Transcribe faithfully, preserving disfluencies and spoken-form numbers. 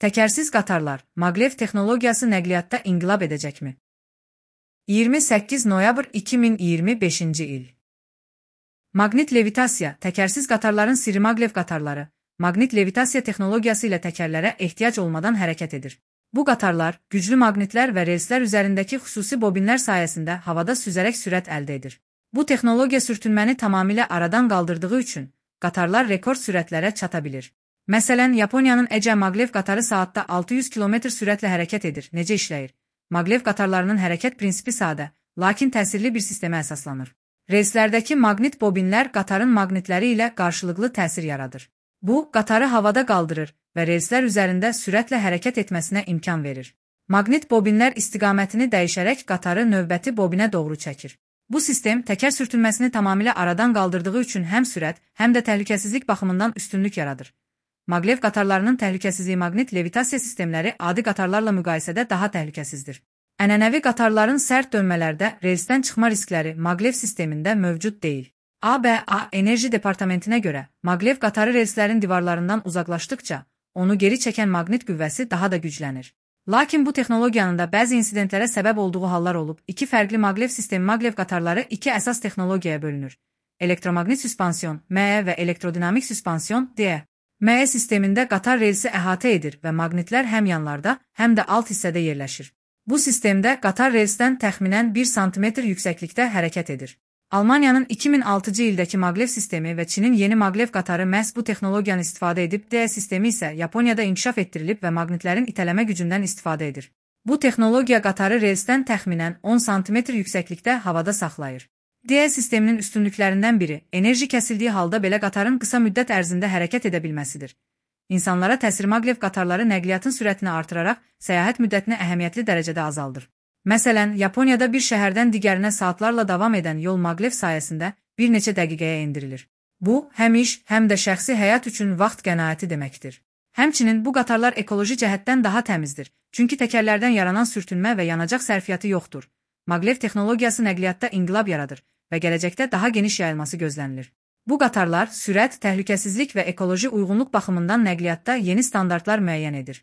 Təkərsiz qatarlar, maglev texnologiyası nəqliyyatda inqilab edəcəkmi? iyirmi səkkiz noyabr iki min iyirmi beşinci il. Maqnit levitasiya, təkərsiz qatarların sirri. Maglev qatarları, maqnit levitasiya texnologiyası ilə təkərlərə ehtiyac olmadan hərəkət edir. Bu qatarlar, güclü maqnitlər və relslər üzərindəki xüsusi bobinlər sayəsində havada süzərək sürət əldə edir. Bu texnologiya sürtünməni tamamilə aradan qaldırdığı üçün, qatarlar rekord sürətlərə çata bilir. Məsələn, Yaponiyanın Ece maglev qatarı saatda altı yüz kilometr sürətlə hərəkət edir. Necə işləyir? Maglev qatarlarının hərəkət prinsipi sadə, lakin təsirli bir sistemə əsaslanır. Relslərdəki maqnit bobinlər qatarın maqnitləri ilə qarşılıqlı təsir yaradır. Bu, qatarı havada qaldırır və relslər üzərində sürətlə hərəkət etməsinə imkan verir. Maqnit bobinlər istiqamətini dəyişərək qatarı növbəti bobinə doğru çəkir. Bu sistem təkər sürtünməsini tamamilə aradan qaldırdığı üçün həm sürət, həm də təhlükəsizlik baxımından üstünlük yaradır. Maglev qatarlarının təhlükəsizliyi. Maqnit levitasiya sistemləri adi qatarlarla müqayisədə daha təhlükəsizdir. Ənənəvi qatarların sərt dönmələrdə relsdən çıxma riskləri maglev sistemində mövcud deyil. A B A Enerji Departamentinə görə, maglev qatarı relslərin divarlarından uzaqlaşdıqca, onu geri çəkən maqnit qüvvəsi daha da güclənir. Lakin bu texnologiyanın da bəzi insidentlərə səbəb olduğu hallar olub. İki fərqli maglev sistemi. Maglev qatarları iki əsas texnologiyaya bölünür. Elektromaqnit süspansiyon M E və elektrodinamik süspansiyon D E. M E sistemində qatar relsi əhatə edir və maqnitlər həm yanlarda, həm də alt hissədə yerləşir. Bu sistemdə qatar relsdən təxminən bir santimetr yüksəklikdə hərəkət edir. Almaniyanın iki min altıncı ildəki maglev sistemi və Çinin yeni maglev qatarı məhz bu texnologiyanı istifadə edib. D E sistemi isə Yaponiyada inkişaf etdirilib və maqnitlərin itələmə gücündən istifadə edir. Bu texnologiya qatarı relsdən təxminən on santimetr yüksəklikdə havada saxlayır. D E sisteminin üstünlüklərindən biri, enerji kəsildiyi halda belə qatarın qısa müddət ərzində hərəkət edə bilməsidir. İnsanlara təsir. Maglev qatarları nəqliyyatın sürətini artıraraq səyahət müddətini əhəmiyyətli dərəcədə azaldır. Məsələn, Yaponiyada bir şəhərdən digərinə saatlarla davam edən yol maglev sayəsində bir neçə dəqiqəyə endirilir. Bu, həm iş, həm də şəxsi həyat üçün vaxt qənaəti deməkdir. Həmçinin bu qatarlar ekoloji cəhətdən daha təmizdir, çünki təkərlərdən yaranan sürtünmə və yanacaq sərfiyyatı yoxdur. Maglev texnologiyası nəqliyyatda inqilab yaradır və gələcəkdə daha geniş yayılması gözlənilir. Bu qatarlar sürət, təhlükəsizlik və ekoloji uyğunluq baxımından nəqliyyatda yeni standartlar müəyyən edir.